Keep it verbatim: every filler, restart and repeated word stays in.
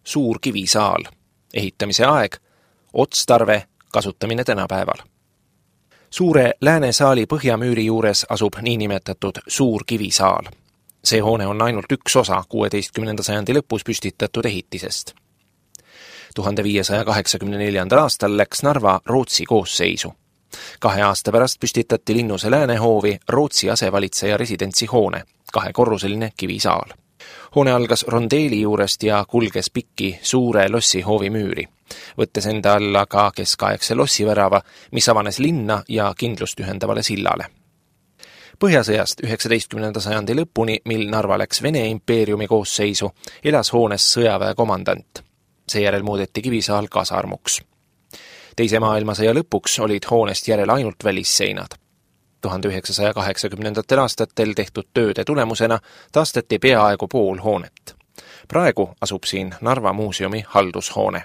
suur kivisaal, ehitamise aeg, otstarve, kasutamine tänapäeval. Suure läänesaali põhjamüüri juures asub niinimetatud suur kivisaal. See hoone on ainult üks osa kuueteistkümnenda sajandi lõpus püstitatud ehitisest. tuhande viiesaja kaheksakümne neljandal aastal läks Narva Rootsi koosseisu. Kahe aasta pärast püstitati linnuse läänehoovi Rootsi asevalitseja residentsi hoone, kahekorruseline kivisaal. Hoone algas rondeeli juurest ja kulges pikki suure lossi hoovi müüri, võttes enda alla ka keskaegse lossivärava, mis avanes linna ja kindlust ühendavale sillale. Põhjasõjast üheksateistkümnenda sajandi lõpuni, mil Narva läks Vene impeeriumi koosseisu, elas hoones sõjaväe komandant. Seejärel muudeti kivisaal kasarmuks. Teise maailmasõja lõpuks olid hoonest järel ainult välisseinad. tuhande üheksasaja kaheksakümnendatel aastatel tehtud tööde tulemusena taastati peaaegu pool hoonet. Praegu asub siin Narva muuseumi haldushoone.